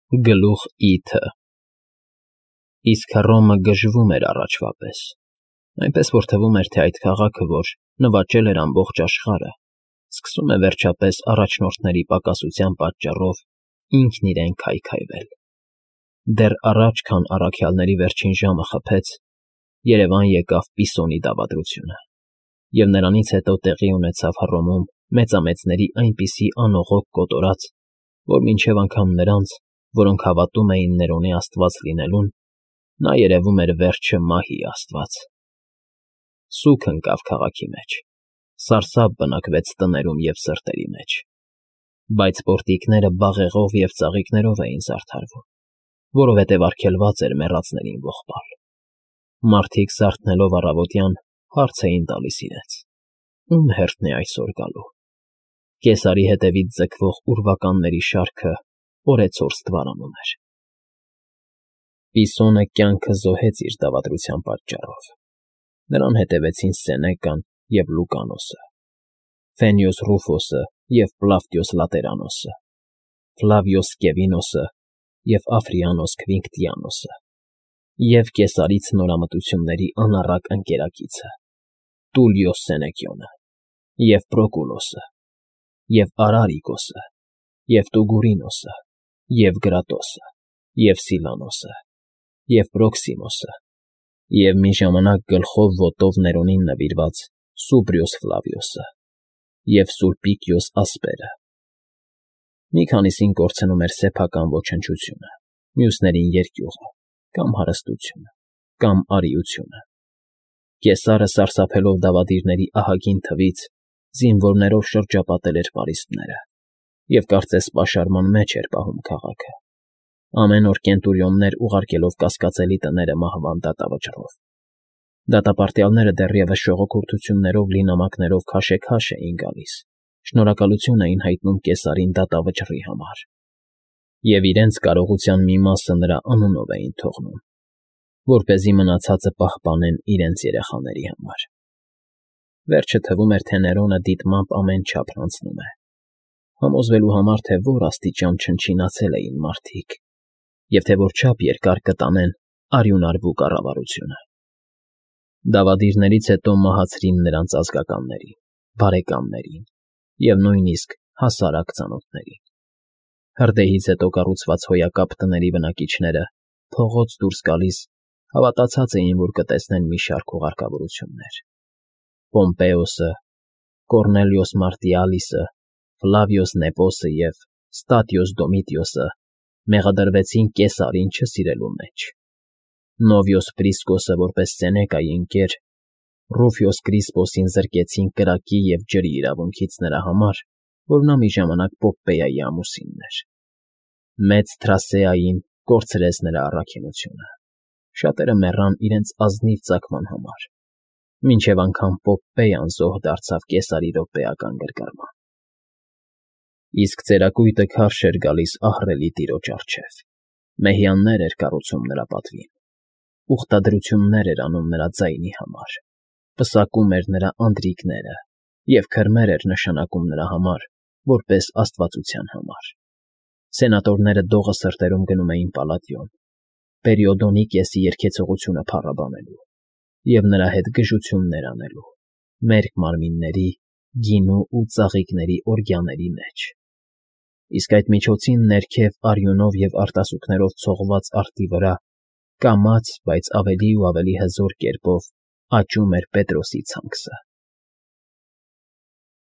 Գլուխ ի.Թ. Իսկ Հռոմը գժվում էր առաջվա պես, այնպես որ թվում էր, թե այդ քաղաքը, որ նվաճել էր ամբողջ աշխարհը, սկսում է վերջապես առաջնորդների պակասության պատճառով ինքն իրեն քայքայվել. դեռ առաջ, քան առաքյալների վերջին ժամը խփեց, երևան եկավ Պիսոնի դավադրությունը, և նրանից հետո տեղի ունեցավ Հռոմում մեծամեծների այնպիսի անողոք կոտորած, որ մինչև անգամ նրանց, որոնք հավատում էին Ներոնի աստված լինելուն, նա երևում էր վերջը մահի աստված. սուգ ընկավ քաղաքի մեջ, սարսափ բնակվեց տներում և սրտերի մեջ, բայց պորտիկները բաղեղով և ծաղիկներով էին զարդարվում, որովհետև արգելված էր մեռածներին ողբալ. մարդիկ զարթնելով առավոտյան հարց էին տալիս իրենց. ում հերթն է այսօր գալու. Կեսարի հետևից ձգվող ուրվականների շարքը օրեցօր ստվարանում էր։ Պիսոնը կյանքը զոհեց իր դավադրության պատճառով. նրան հետևեցին Սենեկան և Լուկանոսը, Ֆենյոս Ռուֆոսը և Պլավտիոս Լատերանոսը, Ֆլավիոս Սկևինոսը և Աֆրիանոս Քվինկտիանոսը, և Կեսարի ցնորամտությունների անառակ ընկերակիցը Տուլիոս Սենեկիոնը, և Պրոկուլոսը, և Արարիկոսը, և Տուգուրինոսը, և Գրատոսը, և Սիլանոսը, և Պրոքսիմոսը, և մի ժամանակ գլխով ոտով Ներոնին նվիրված Սուբրիոս Ֆլավիոսը, և Սուլպիկիոս Ասպերը. մի քանիսին կորցնում էր սեփական ոչնչությունը, մյուսներին երկյուղը, կամ հարստությունը, կամ արիությունը. Կեսարը, սարսափելով դավադիրների ահագին թվից, զինվորներով շրջապատել էր պարիսպները և կարծես պաշարման մեջ էր պահում քաղաքը, ամեն օր կենտուրիոններ ուղարկելով կասկածելի տները մահվան դատավճռով. դատապարտյալները դեռևս շողոքորթություններով լի նամակներով քաշեքաշ էին գալիս, շնորհակալություն էին հայտնում Կեսարին դատավճռի համար, և իրենց կարողության մի մասը նրա անունով էին թողնում, որպեսզի մնացածը պահպանեն իրենց երեխաների համար։ Վերջը թվում էր, թե Ներոնը դիտմամբ ամեն չափ հանձնում է, համոզվելու համար, թե որ աստիճան չնչինացել էին մարդիկ, և թե որչափ երկար կտանեն արյունարբու կառավարությունը։ Դավադիրներից հետո մահացրին նրանց ազգականներին, բարեկամներին և նույնիսկ հասարակ ծանոթներին։ Հրդեհից հետո կառուցված հոյակապ տների բնակիչները, փողոց դուրս գալիս, հավատացած էին, որ կտեսնեն մի շարք ուղարկավորություններ. Պոմպեոսը, Կոռնելիոս Մարտիալիսը, Ֆլավիոս Նեպոսը և Ստատիոս Դոմիտիոսը մեղադրվեցին Կեսարին չսիրելու մեջ, Նովիոս Պրիսկոսը որպես Սենեկայի ընկեր, Ռուֆիոս Կրիսպոսին զրկեցին կրակի և ջրի իրավունքից նրա համար, որ նա մի ժամանակ Պոպպեայի ամուսինն էր, Մեծ Թրասեային կորցրեց նրա առաքինությունը, շատերը մեռան իրենց ազնիվ ծագման համար, մինչև անգամ Պոպպեյան զոհ դարձավ Կեսարի րոպեական գրգռման։ Իսկ ծերակույտը քարշ էր գալիս ահռելի տիրոջ առջև, մեհյաններ էր կառուցում նրա պատվին, ուխտադրություններ էր անում նրա ձայնի համար, պսակում էր նրա անդրիքները և քրմեր էր նշանակում նրա համար, որպես աստվածության համար։ Սենատորները դողը սրտերում գնում էին Պալատիոն, Պերիոդոնիկեսի երգեցողությունը փառաբանելու և նրա հետ գժություններ անելու, մերկ մարմինների, գինու ու ծաղիկների օրգիաների մեջ, իսկ այդ միջոցին ներքև արյունով և արտասուքներով ցողված արդի վրա կամաց, բայց ավելի ու ավելի հզոր կերպով աճում էր Պետրոսի ցանքսը։